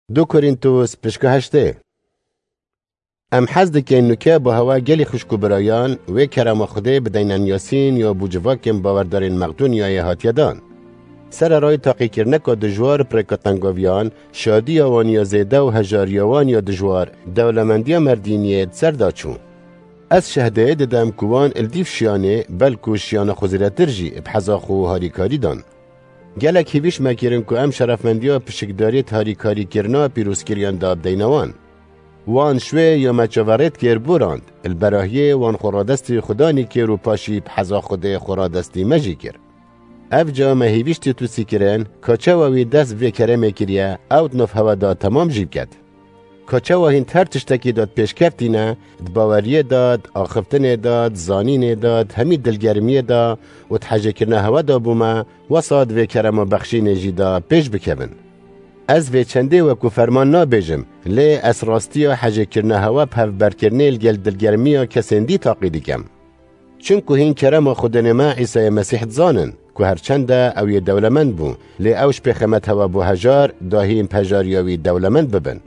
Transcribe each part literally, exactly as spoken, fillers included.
Du Korîntos pişka heştê. Em hez dikin nuke bi hewa gelî xwişk û birayan wê kerema Xwedê bideyne Yasîn ya bo civakên bawerdarên Meqdonyayê hatiye dan. Sererayî taqîkirneka dijwar bi rêka tengaviyan, şadiya wan ya zêde û hejariya wan ya dijwar, dewlemendiya merdîniyê di ser de çû. Ez şehdê didim ku wan li dîv şiyanê, belku şiyana xwe zêdetir jî, bi heza xwe harîkarî dan. Gelek hêvîş me kirin ku em şerefmendiya pişikdariyê di harîkarîkirina pîrozkiriyan de bideyne wan. Wan şwê ya me çaverêt kir borand, li berahiyê wan xwe radestî Xudanî kir û paşî bi heza Xwedê xwe radestî me jî kir. Ev ca me hêvîş Tîtusî kirin, ka çawa wî dest vê keremê kiriye, ew di nav hewa de temam jî biket. Ka çawa hîn her tiştekî de di pêşkeftî ne, di baweriyê de, di axiftinê de, di zanînê de, di hemî dilgermiyê de û di hejêkirina hewa de bûme, wesa di vê kerema bexşînê jî de pêş bikevin. Ez vê çendê wekû ferman nabêjim, lê ez rastiya hejêkirina hewa bi hevberkirinê li gel dilgermiya kesên dî taqî dikim. Çimku hîn kerema Xwedênê me Îsayê Mesîh dizanin, ku her çende ew yê dewlemend bû, lê ew ji pêxemet hewa bû hejar, da hîn bi hejariya wî dewlemend bibin.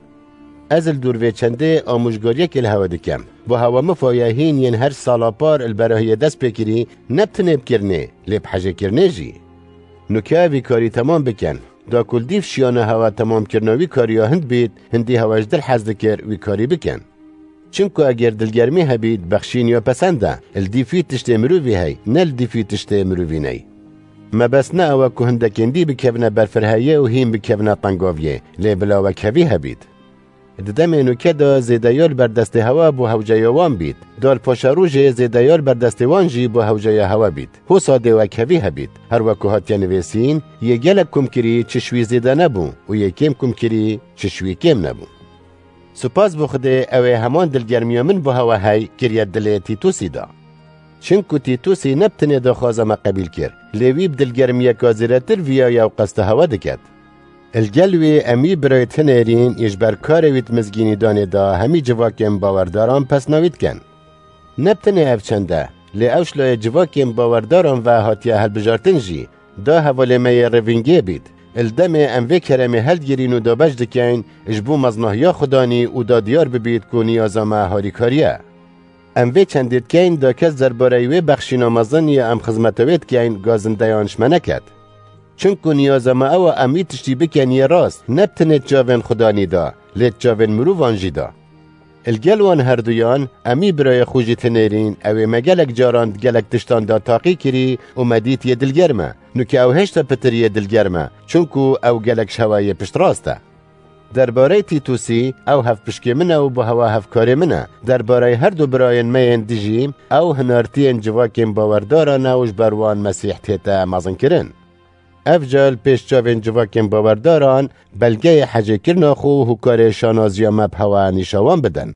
Ez li dûr vê çendê amûjgariyekê li hewa dikim. Bo hewa mifa ye hîn yên her sala par li berahiyê dest pê kirî, ne bi tinê bi kirinê, lê bi hejêkirinê jî. Nuke vî karî temam bikin. Da ku li dîv şiyana hewa temamkirina wî kariya hind bît, hindî hewa ji dil hez dikir wî karî bikin. Çimku eger dilgermî hebît, bexşîn ya pesend e, li dîv wî tiştê mirovî hey, ne li dîv wî tiştê mirovî ney. Mebest ne ew e ku hindekên dî bikevine berfireheyê û hîn bikevine tengaviyê, lê bila wekhevî hebît. Di demê nuke de zêdeya li ber destê hewa bo hewceya wan bît, da li paşerojê zêdeya li ber destê wan jî bo hewceya hewa bît. Hosa dê wekhevî hebît. Her wekû hatiye nivîsîn, yê gelek kumkirî çi şwî zêde nebû û yê kêm kumkirî çi şwî kêm nebû. Spas bo Xwedê, ew ê heman dilgermiya min bo hewa hey kiriye dilê Tîtusî de. Çimku Tîtusî ne bi tinê daxwaza me qebîl kir, lê wî bi dilgermiyeka zêdetir viya yew qesta hewa diket. Li gel wî em wî birayê tinêrîn yê ji ber karê wî di mizgînî danê de hemî civakên bawerdaran pesna wî dikin. Ne bi tinê ev çend e, lê ew ji layê civakên bawerdaran ve hatiye hilbijartin jî, da hevalê me yê rêvîngê bît. Li demê em vê keremê hildigirîn û dabeş dikeyn, ji bo mezinahiya Xudanî û da diyar bibît ku niyaza me harîkarî ye. Em vê çendê dikeyn, da kes derbareyê wê bexşîna mezin ya em xizmeta wê dikeyn, gazindeyan ji me neket. Çimku niyaza me ew e em wî tiştî bikin yê rast, ne bi tinê di çavên Xudanî de, lê di çavên mirovan jî de. Li gel wan herduyan, em wî birayê xwe jî tinêrîn, ew ê me gelek caran di gelek tiştan de taqî kirî û me dît yê dilgerm e. Nuke ew hêşta pitir yê dilgerm e, çimku ew gelek ji hewa yê piştrast e. Derbareyê Tîtusî, ew hevpişkê min e û bi hewa hevkarê min e. Derbareyê her du birayên me yên dî jî, ew hinartiyên civakên bawerdaran e û ji ber wan Mesîh tête mezinkirin. Ev ca li pêş çavên civakên bawerdaran belgeyê hecêkirina xwe û hokarê şanaziya me bi hewa nîşa wan bidin.